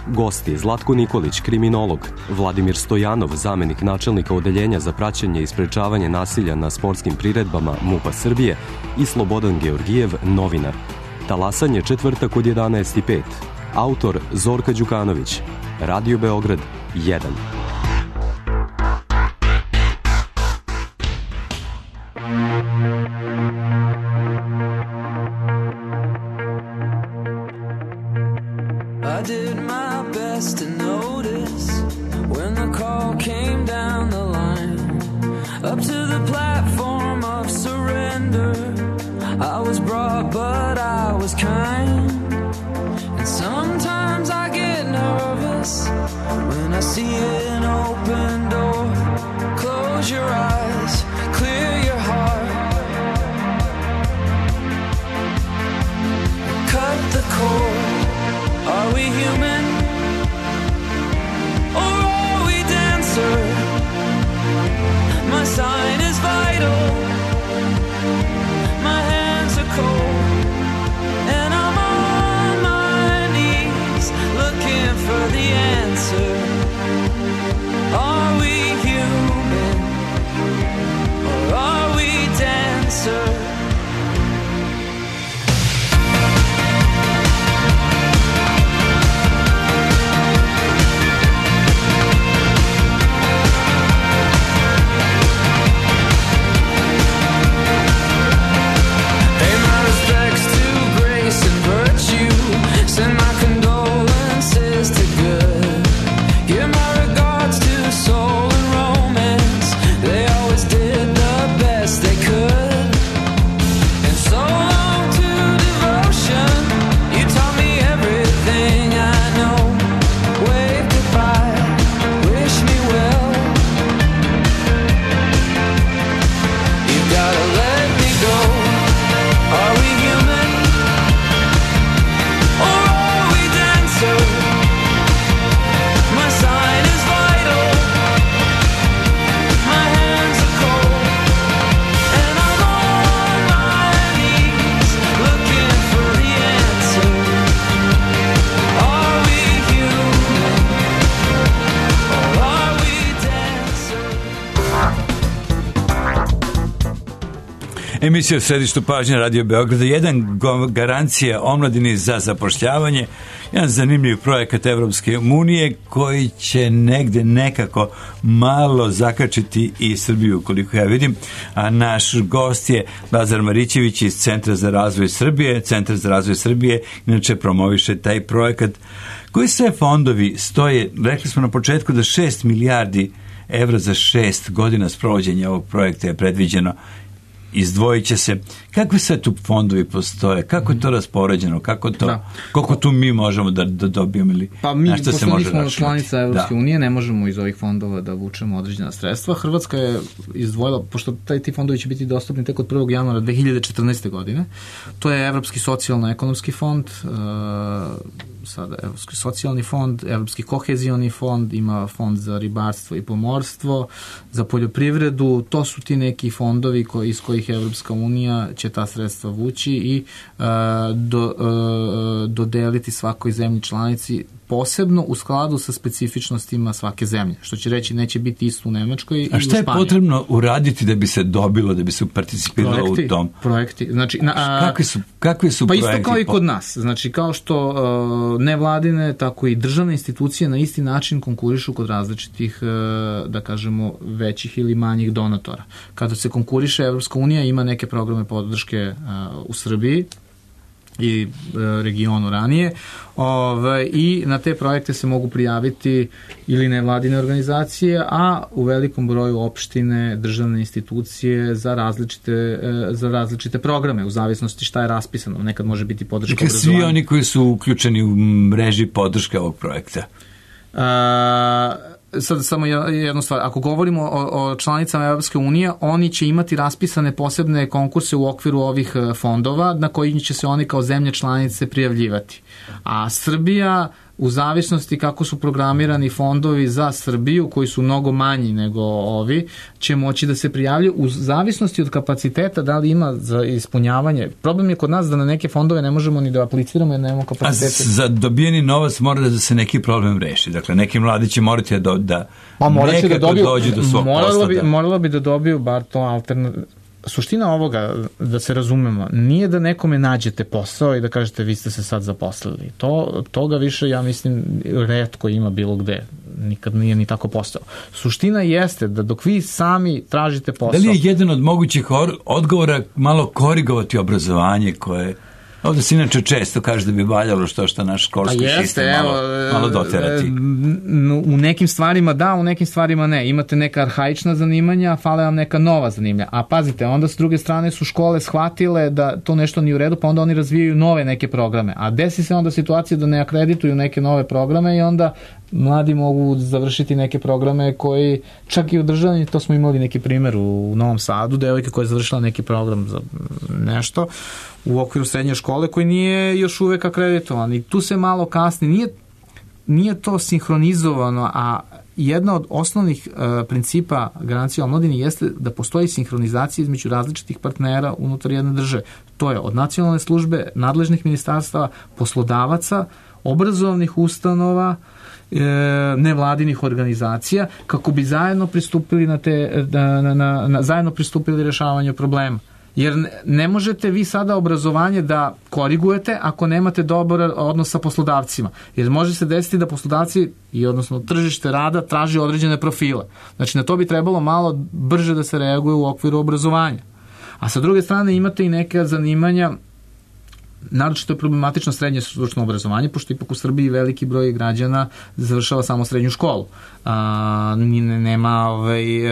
Gosti Zlatko Nikolić, kriminolog, Vladimir Stojanov, zamenik načelnika odeljenja za praćenje i sprečavanje nasilja na sportskim priredbama MUP-a Srbije i Slobodan Georgijev, novinar. Talasanje četvrtak od 11:05. Autor Zorka Đukanović. Radio Beograd 1. Emisija u središtu pažnje Radio Beograda, jedan garancija omladini za zapošljavanje, jedan zanimljiv projekat Evropske unije koji će negde nekako malo zakačiti i Srbiju, koliko ja vidim. A naš gost je Lazar Marićević iz Centra za razvoj Srbije. Centar za razvoj Srbije inače promoviše taj projekat. Koji sve fondovi stoje? Rekli smo na početku da 6 milijardi evra za 6 godina sprovođenja ovog projekta je predviđeno. Izdvojit će se. Kakve sve tu fondovi postoje? Kako je to raspoređeno? Koliko tu mi možemo da dobijemo? Ili pa mi, pošto nismo članica Evropske unije, ne možemo iz ovih fondova da vučemo određena sredstva. Hrvatska je izdvojila, pošto ti fondovi će biti dostupni tek od 1. januara 2014. godine, to je Evropski socijalno-ekonomski fond, sada Evropski socijalni fond, Evropski kohezioni fond, ima fond za ribarstvo i pomorstvo, za poljoprivredu, to su ti neki fondovi iz kojih Evropska unija će ta sredstva vući i dodeliti svakoj zemlji članici posebno u skladu sa specifičnostima svake zemlje. Što će reći, neće biti isto u Nemačkoj i u Španiji. A šta je potrebno uraditi da bi se dobilo, da bi se participiralo u tom? Projekti. Znači, kakvi su pa projekti? Pa isto kao i kod nas. Znači, kao što nevladine, tako i državne institucije na isti način konkurišu kod različitih, da kažemo, većih ili manjih donatora. Kada se konkuriše, Evropska unija ima neke programe podrške u Srbiji i regionu ranije, i na te projekte se mogu prijaviti ili nevladine organizacije, a u velikom broju opštine, državne institucije za različite programe, u zavisnosti šta je raspisano. Nekad može biti podrška obrazovanja. Svi oni koji su uključeni u mreži podrške ovog projekta? Sad samo jednu stvar, ako govorimo o članicama Evropske unije, oni će imati raspisane posebne konkurse u okviru ovih fondova na koji će se oni kao zemlje članice prijavljivati. A Srbija, u zavisnosti kako su programirani fondovi za Srbiju, koji su mnogo manji nego ovi, će moći da se prijavljaju u zavisnosti od kapaciteta, da li ima za ispunjavanje. Problem je kod nas da na neke fondove ne možemo ni da apliciramo jer nemamo kapaciteta. A za dobijeni novac mora da se neki problem reši. Dakle, neki mladi će morati da nekako dođu do svog posla. Moralo bi da dobiju bar to alternativno. Suština ovoga, da se razumemo, nije da nekome nađete posao i da kažete vi ste se sad zaposlili. Toga više, ja mislim, retko ima bilo gde. Nikad nije ni tako postao. Suština jeste da dok vi sami tražite posao... Da li je jedan od mogućih odgovora malo korigovati obrazovanje koje... Ovdje se inače često kaže da bi valjalo što naš školski sistem malo doterati. U nekim stvarima da, u nekim stvarima ne. Imate neka arhaična zanimanja, fale vam neka nova zanimanja. A pazite, onda s druge strane su škole shvatile da to nešto nije u redu, pa onda oni razvijaju nove neke programe. A desi se onda situacija da ne akredituju neke nove programe i onda mladi mogu završiti neke programe koji, čak i u državni, to smo imali neki primjer u Novom Sadu, devojka koja je završila neki program za nešto u okviru srednje škole koji nije još uvek akreditovan i tu se malo kasni, nije to sinhronizovano, a jedna od osnovnih principa garancije omladini jeste da postoji sinhronizacija između različitih partnera unutar jedne države. To je od nacionalne službe, nadležnih ministarstava, poslodavaca, obrazovnih ustanova, nevladinih organizacija, kako bi zajedno pristupili zajedno pristupili rešavanju problema. Jer ne možete vi sada obrazovanje da korigujete ako nemate dobar odnos sa poslodavcima. Jer može se desiti da poslodavci i odnosno tržište rada traži određene profile. Znači na to bi trebalo malo brže da se reaguje u okviru obrazovanja. A sa druge strane imate i neke zanimanja, naročito je problematično srednje stručno obrazovanje, pošto ipak u Srbiji veliki broj građana završava samo srednju školu. Nema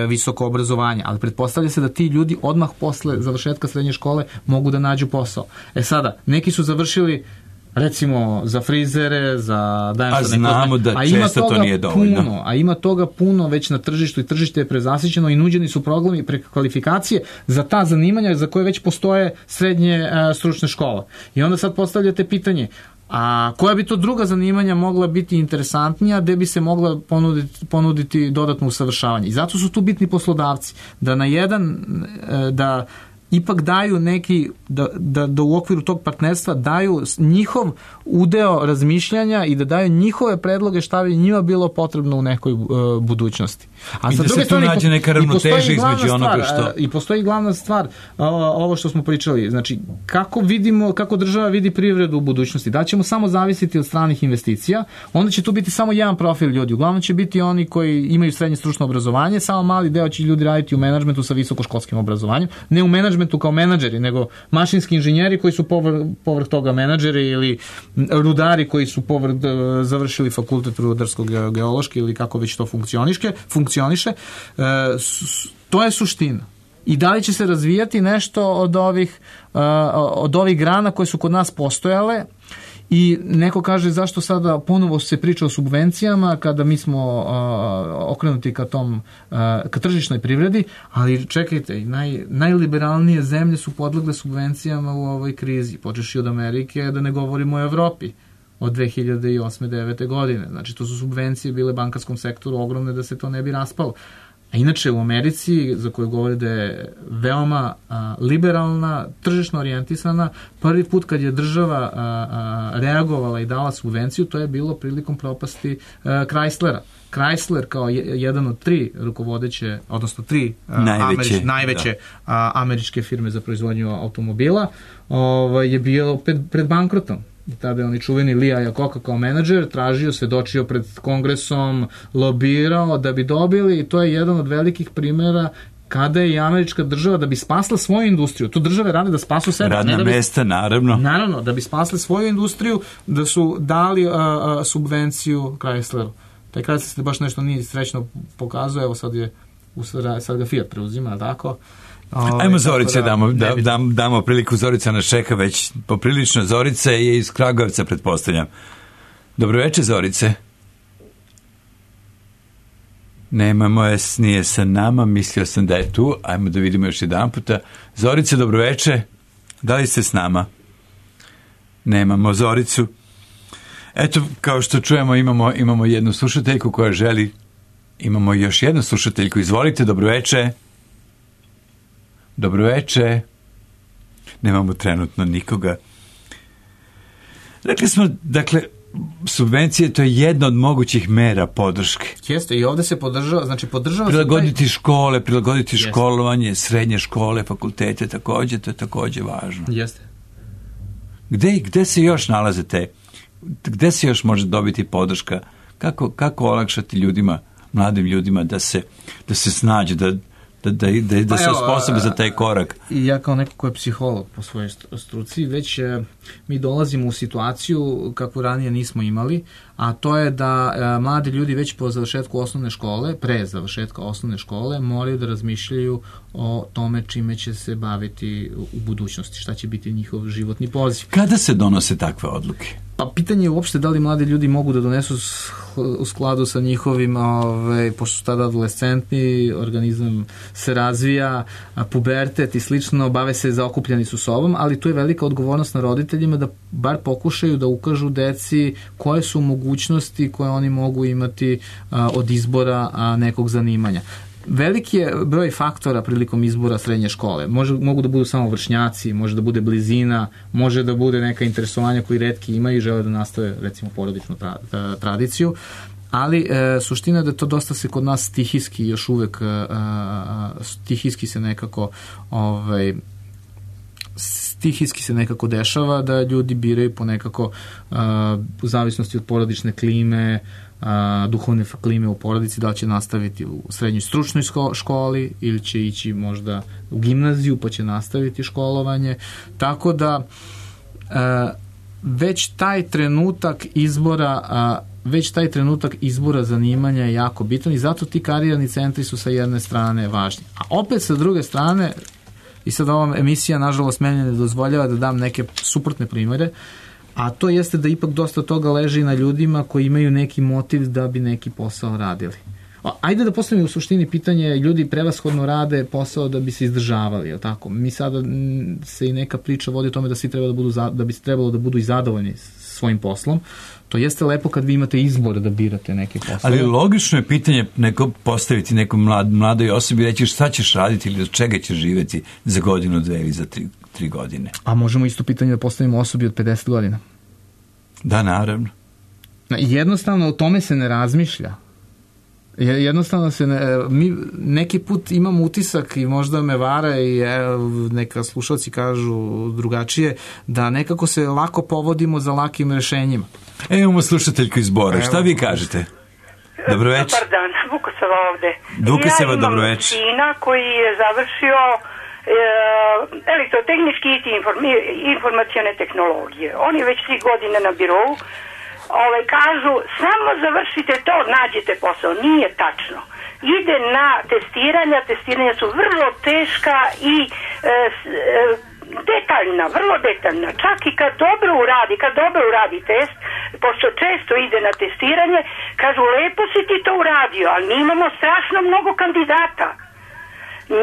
visoko obrazovanje, ali pretpostavlja se da ti ljudi odmah posle završetka srednje škole mogu da nađu posao. Sada, neki su završili recimo za frizere, za znamo da često to nije dovoljno. A ima toga puno već na tržištu i tržište je prezasićeno i nuđeni su programi prekvalifikacije za ta zanimanja za koje već postoje srednje stručne škole. I onda sad postavljate pitanje, a koja bi to druga zanimanja mogla biti interesantnija, gde bi se mogla ponuditi dodatno usavršavanje. I zato su tu bitni poslodavci, da ipak daju neki, da u okviru tog partnerstva daju njihov udeo razmišljanja i da daju njihove predloge šta bi njima bilo potrebno u nekoj budućnosti. A i da se tu nađe neka ravnoteža između onoga što... I postoji glavna stvar, ovo što smo pričali, znači kako država vidi privredu u budućnosti. Da ćemo samo zavisiti od stranih investicija, onda će tu biti samo jedan profil ljudi. Uglavnom će biti oni koji imaju srednje stručno obrazovanje, samo mali deo će ljudi raditi u menadžmentu sa visokoškolskim obrazovanjem. Ne u menadžmentu kao menadžeri, nego mašinski inženjeri koji su povrh toga menadžeri ili rudari koji su završili fakultet rudarsko-geološki ili kako već to funkcioniše. To je suština. I da li će se razvijati nešto od ovih grana koje su kod nas postojale. I neko kaže zašto sada ponovo se priča o subvencijama kada mi smo okrenuti ka tržišnoj privredi, ali čekajte, najliberalnije zemlje su podlegle subvencijama u ovoj krizi, počeši od Amerike, da ne govorimo o Evropi od 2008-2009. godine. Znači, to su subvencije bile bankarskom sektoru ogromne da se to ne bi raspalo. A inače u Americi, za koju govori da je veoma liberalna, tržišno orijentisana, prvi put kad je država reagovala i dala subvenciju, to je bilo prilikom propasti Chryslera. Chrysler kao jedan od tri rukovodeće, odnosno tri najveće američke firme za proizvodnju automobila, je bio pred bankrotom. I tada je oni čuveni Lee Iacocca kao menadžer tražio, svedočio pred kongresom, lobirao da bi dobili, i to je jedan od velikih primjera kada je i američka država da bi spasla svoju industriju. Tu države rade da spasu sebe. Radna mesta, naravno. Naravno, da bi spasli svoju industriju, da su dali subvenciju Chrysleru. Taj Chrysler se baš nešto nije srećno pokazuje, evo sad ga Fiat preuzima, tako? Ajmo Zorice, damo priliku. Zorica nas čeka već poprilično. Zorica je iz Kragujevca, pretpostavljam. Dobroveče, Zorice. Nemamo je, nije sa nama, mislio sam da je tu. Ajmo da vidimo još jedan puta. Zorice, dobroveče. Da li ste s nama? Nemamo Zoricu. Eto, kao što čujemo, imamo jednu slušateljku koja želi. Imamo još jednu slušateljku. Izvolite, dobroveče. Dobroveče. Nemamo trenutno nikoga. Rekli smo, dakle, subvencije, to je jedna od mogućih mera podrške. Jeste, i ovde se podržava, prilagoditi škole, prilagoditi školovanje, srednje škole, fakultete, takođe, to je takođe važno. Jeste. Gde se još nalaze gde se još može dobiti podrška? Kako olakšati ljudima, mladim ljudima da se snađe, da se osposobe za taj korak? Ja kao neko ko je psiholog po svojoj struci, već mi dolazimo u situaciju kakvu ranije nismo imali, a to je da mladi ljudi već po završetku osnovne škole, pre završetka osnovne škole, moraju da razmišljaju o tome čime će se baviti u budućnosti, šta će biti njihov životni poziv. Kada se donose takve odluke? Pa pitanje je uopšte da li mladi ljudi mogu da donesu u skladu sa njihovim, pošto su tada adolescentni, organizam se razvija, pubertet i slično, bave se zaokupljeni su sobom, ali tu je velika odgovornost na roditeljima da bar pokušaju da ukažu deci koje su mogućnosti koje oni mogu imati od izbora nekog zanimanja. Veliki je broj faktora prilikom izbora srednje škole. Mogu da budu samo vršnjaci, može da bude blizina, može da bude neka interesovanja koji retki imaju i žele da nastave, recimo, porodičnu tradiciju, ali suština je da to dosta se kod nas stihijski još uvek stihijski se nekako dešava da ljudi biraju po nekako u zavisnosti od porodične klime, duhovne klime u porodici, da će nastaviti u srednjoj stručnoj školi ili će ići možda u gimnaziju pa će nastaviti školovanje, tako da već taj trenutak izbora zanimanja je jako bitan i zato ti karijerni centri su sa jedne strane važni. A opet sa druge strane, i sad ova emisija nažalost meni ne dozvoljava da dam neke suprotne primere, a to jeste da ipak dosta toga leži na ljudima koji imaju neki motiv da bi neki posao radili. Ajde da postavimo u suštini pitanje, ljudi prevashodno rade posao da bi se izdržavali, je li tako? Mi sada se i neka priča vodi o tome da svi treba da bi trebalo da budu i zadovoljni svojim poslom, to jeste lepo kad vi imate izbor da birate neke poslove. Ali logično je pitanje postaviti nekom mladoj osobi i reći šta ćeš raditi ili od čega ćeš živeti za godinu, 2 ili za 3 godine. A možemo isto pitanje da postavimo osobi od 50 godina. Da, naravno. Jednostavno o tome se ne razmišlja. Jednostavno se mi neki put imam utisak i možda me vara i neka slušalci kažu drugačije, da nekako se lako povodimo za lakim rešenjima. Imamo slušateljku iz Bora. Šta vi kažete? Dobroveče. Dobar dan, Vukosava ovde. Vukosava, dobroveče. Ja imam sina koji je završio elektrotehnički i informacione tehnologije. On je već 3 godine na birovu. Kažu, samo završite to, nađete posao. Nije tačno. Ide na testiranja su vrlo teška i detaljna, vrlo detaljna. Čak i kad dobro uradi test, pošto često ide na testiranje, kažu, lepo si ti to uradio, ali mi imamo strašno mnogo kandidata.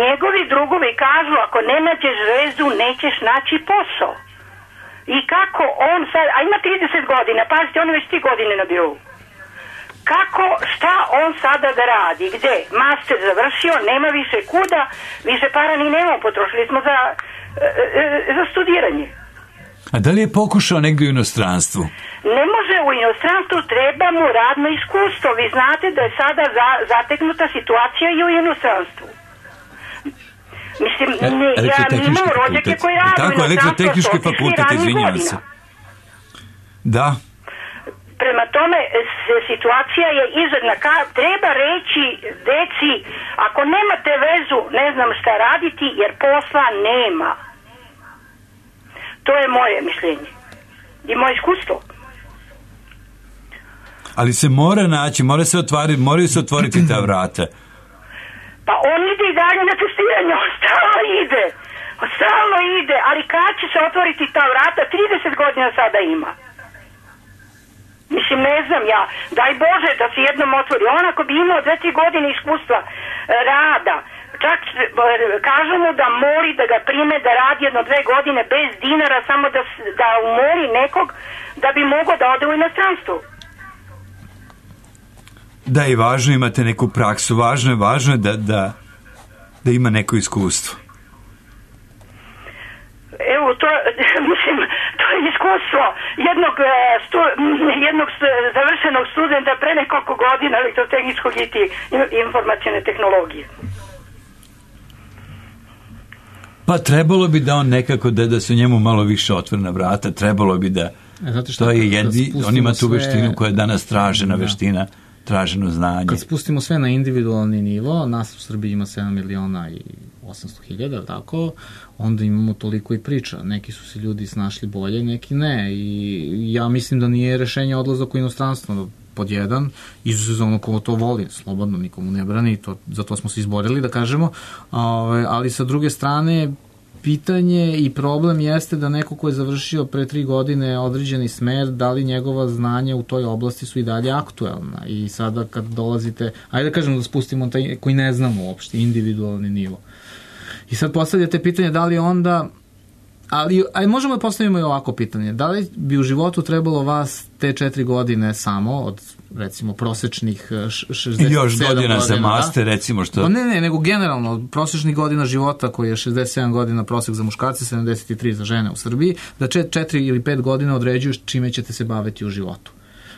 Njegovi drugovi kažu, ako ne nađeš vezu, nećeš naći posao. I kako on sad, a ima 30 godina, pazite, on je već 3 godine na birovu. Šta on sada da radi? Gde? Master završio, nema više kuda, više para ni nemamo, potrošili smo za studiranje. A da li je pokušao negdje u inostranstvu? Ne može u inostranstvu, treba mu radno iskustvo. Vi znate da je sada zateknuta situacija i u inostranstvu. Mislim, ja imam rođake koji radi u inostranstvu. Elektrotehnički fakultet, izvinjavam se. Da. Prema tome, situacija je izredna. Treba reći deci, ako nemate vezu, ne znam šta raditi, jer posla nema. To je moje mišljenje. I moje iskustvo. Ali se mora naći, moraju se otvoriti ta vrata. Pa on ide i dalje na testiranje, on stalno ide, ali kad će se otvoriti ta vrata, 30 godina sada ima. Mislim, ne znam ja, daj Bože da se jednom otvori. On ako bi imao 2-3 godine iskustva rada, čak kažu mu da moli da ga prime da radi 1-2 godine bez dinara, samo da umoli nekog da bi mogao da ode u inostranstvo. Da, i važno imate neku praksu, važno je da ima neko iskustvo. Evo, to je iskustvo jednog završenog studenta pre nekoliko godina elektrotehničkog i informacione tehnologije. Pa trebalo bi da on nekako, da se njemu malo više otvorena vrata, trebalo bi da to je on ima tu veštinu koja je danas tražena veština, traženo znanje. Kad spustimo sve na individualni nivo, nas u Srbiji ima 7.800.000, tako, onda imamo toliko i priča. Neki su se ljudi snašli bolje, neki ne. I ja mislim da nije rešenje odlazak u inostranstvo. Pod jedan, izuzetno za ono ko to voli, slobodno, nikomu ne brani, za to smo se izborili, da kažemo, ali sa druge strane, pitanje i problem jeste da neko ko je završio pre 3 godine određeni smer, da li njegova znanja u toj oblasti su i dalje aktuelna. I sada kad dolazite, ajde da kažemo da spustimo taj koji ne znamo uopšte, individualni nivo. I sad postavljate pitanje da li onda, ali možemo da postavimo i ovako pitanje, da li bi u životu trebalo vas te 4 godine samo od recimo prosečnih 67 godina. Još godina za master, recimo što... Ne, nego generalno prosečnih godina života koji je 67 godina prosek za muškarce, 73 za žene u Srbiji, da 4 ili 5 godina određuju čime ćete se baviti u životu.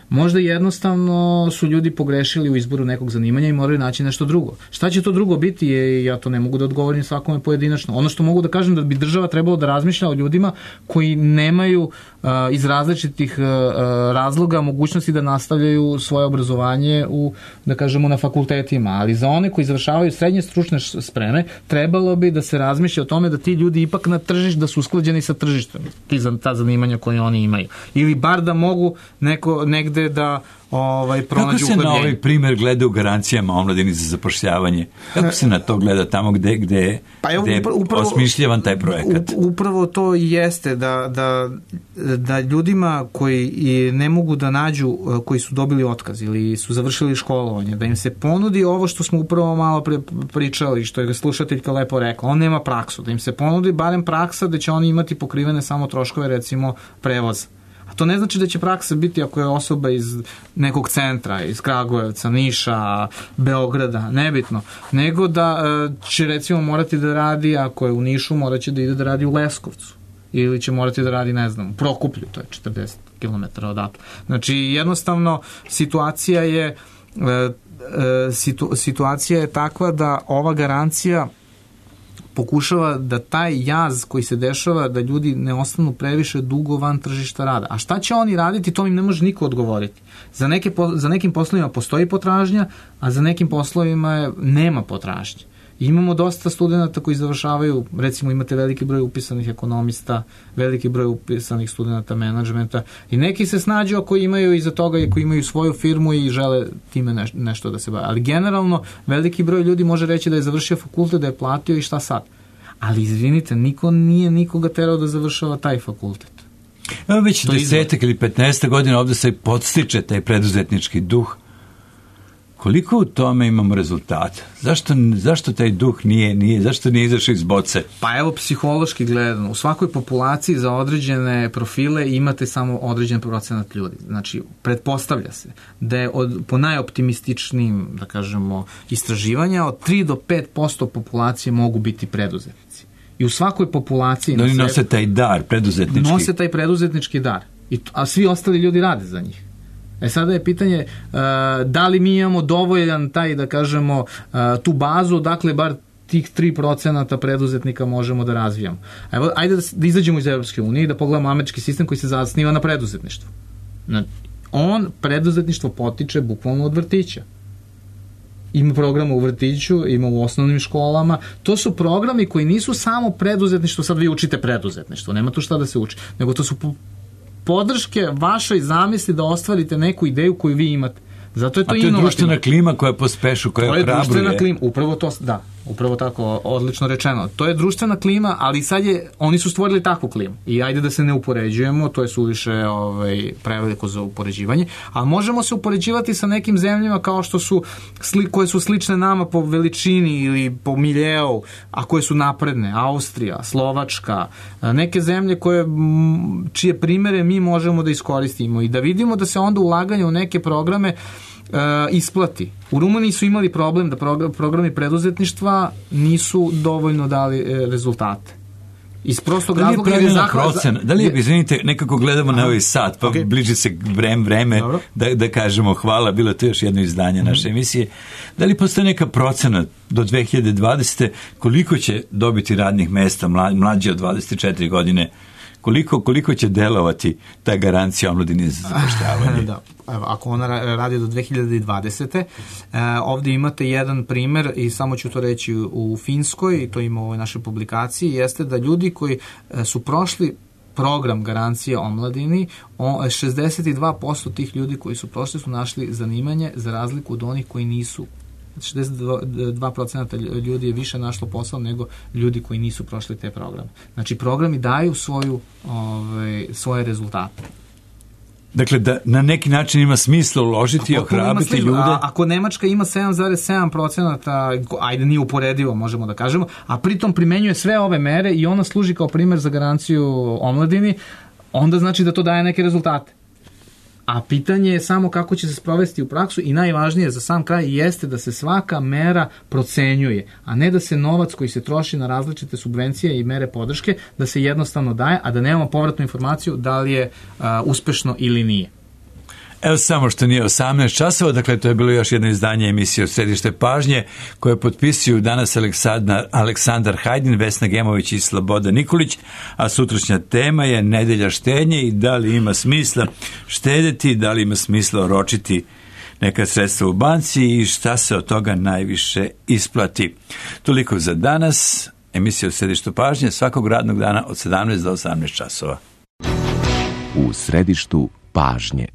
Možda jednostavno su ljudi pogrešili u izboru nekog zanimanja i moraju naći nešto drugo. Šta će to drugo biti, ja to ne mogu da odgovorim svakome pojedinačno. Ono što mogu da kažem da bi država trebalo da razmišlja o ljudima koji nemaju iz različitih razloga mogućnosti da nastavljaju svoje obrazovanje da kažemo na fakultetima, ali za one koji završavaju srednje stručne spreme trebalo bi da se razmišlja o tome da ti ljudi ipak na tržištu, da su usklađeni sa tržištem, ta zanimanja koje oni imaju. Ili bar da mogu negde da pronađu Kako se na ovaj primjer gleda u garancijama omladini za zapošljavanje? Kako se na to gleda tamo gde je osmišljavan taj projekat? Upravo to i jeste da ljudima koji ne mogu da nađu, koji su dobili otkaz ili su završili školovanje, da im se ponudi ovo što smo upravo malo pričali, što je slušateljka lepo rekla, on nema praksu, da im se ponudi barem praksa da će oni imati pokrivene samo troškove, recimo prevoza. A to ne znači da će praksa biti ako je osoba iz nekog centra, iz Kragujevca, Niša, Beograda, nebitno, nego da će recimo morati da radi, ako je u Nišu, morat će da ide da radi u Leskovcu. Ili će morati da radi, ne znam, u Prokuplju, to je 40 km odatle. Znači, jednostavno, situacija je takva da ova garancija pokušava da taj jaz koji se dešava, da ljudi ne ostanu previše dugo van tržišta rada. A šta će oni raditi, to im ne može niko odgovoriti. Za nekim poslovima postoji potražnja, a za nekim poslovima nema potražnje. Imamo dosta studenta koji završavaju, recimo imate veliki broj upisanih ekonomista, veliki broj upisanih studenta menadžmenta i neki se snađu ako imaju iza toga i ako imaju svoju firmu i žele time nešto da se bave. Ali generalno veliki broj ljudi može reći da je završio fakultet, da je platio i šta sad. Ali izvinite, niko nije nikoga terao da završava taj fakultet. Evo već 10 ili 15 godina ovde se podstiče taj preduzetnički duh. Koliko u tome imamo rezultata? Zašto taj duh zašto nije izašao iz boce? Pa evo, psihološki gledano, u svakoj populaciji za određene profile imate samo određen procenat ljudi. Znači, pretpostavlja se da je po najoptimističnijim, da kažemo, istraživanja, od 3 do 5% populacije mogu biti preduzetnici. I u svakoj populaciji... Da oni nose taj dar, preduzetnički. Nose taj preduzetnički dar. A svi ostali ljudi rade za njih. Sada je pitanje da li mi imamo dovoljan taj, da kažemo, tu bazu, dakle, bar tih 3% preduzetnika možemo da razvijamo. Evo, ajde da izađemo iz Evropske unije i da pogledamo američki sistem koji se zasniva na preduzetništvu. Preduzetništvo potiče bukvalno od vrtića. Ima programa u vrtiću, ima u osnovnim školama. To su programi koji nisu samo preduzetništvo, sad vi učite preduzetništvo, nema tu šta da se uči, nego to su podrške vašoj zamisli da ostvarite neku ideju koju vi imate. Zato je to inovativno. A to je društvena klima koja pospešu, koja ohrabruje. To je društvena klima, upravo to, da, upravo tako, odlično rečeno. To je društvena klima, ali sad oni su stvorili takvu klimu. I ajde da se ne upoređujemo, to je suviše preveliko za upoređivanje, ali možemo se upoređivati sa nekim zemljama kao što su, koje su slične nama po veličini ili po miljeu, a koje su napredne, Austrija, Slovačka, neke zemlje čije primere mi možemo da iskoristimo i da vidimo da se onda ulaganje u neke programe isplati. U Rumuniji su imali problem da programi preduzetništva nisu dovoljno dali rezultate. Iz prostog razloga... Da li je, izvinite, nekako gledamo na ovaj sat, pa bliži se vreme da kažemo hvala, bilo to još jedno izdanje naše emisije. Da li postoje neka procena do 2020. koliko će dobiti radnih mesta mlađe od 24 godine? Koliko će delovati ta garancija omladini za zapošljavanje? Da. Ako ona radi do 2020. Ovdje imate jedan primer i samo ću to reći u Finskoj, i to ima u ovoj našoj publikaciji, jeste da ljudi koji su prošli program garancije omladini, 62% tih ljudi koji su prošli su našli zanimanje za razliku od onih koji nisu. 62% ljudi je više našlo posao nego ljudi koji nisu prošli te programe. Znači, programi daju svoje rezultate. Dakle, da na neki način ima smisla uložiti i ohrabriti ljude. Ako Nemačka ima 7,7%, ajde nije uporedivo, možemo da kažemo, a pritom primenjuje sve ove mere i ona služi kao primer za garanciju omladini, onda znači da to daje neke rezultate. A pitanje je samo kako će se sprovesti u praksu i najvažnije za sam kraj jeste da se svaka mera procenjuje, a ne da se novac koji se troši na različite subvencije i mere podrške, da se jednostavno daje, a da nemamo povratnu informaciju da li je uspešno ili nije. Evo samo što nije 18 časova, dakle to je bilo još jedno izdanje emisije od Središte pažnje koje potpisuju danas Aleksandar Hajdin, Vesna Gemović i Slobodan Nikolić, a sutrašnja tema je nedelja štednje i da li ima smisla štedeti, da li ima smisla oročiti neka sredstva u banci i šta se od toga najviše isplati. Toliko za danas, emisija od Središtu pažnje svakog radnog dana od 17 do 18 časova. U Središtu pažnje.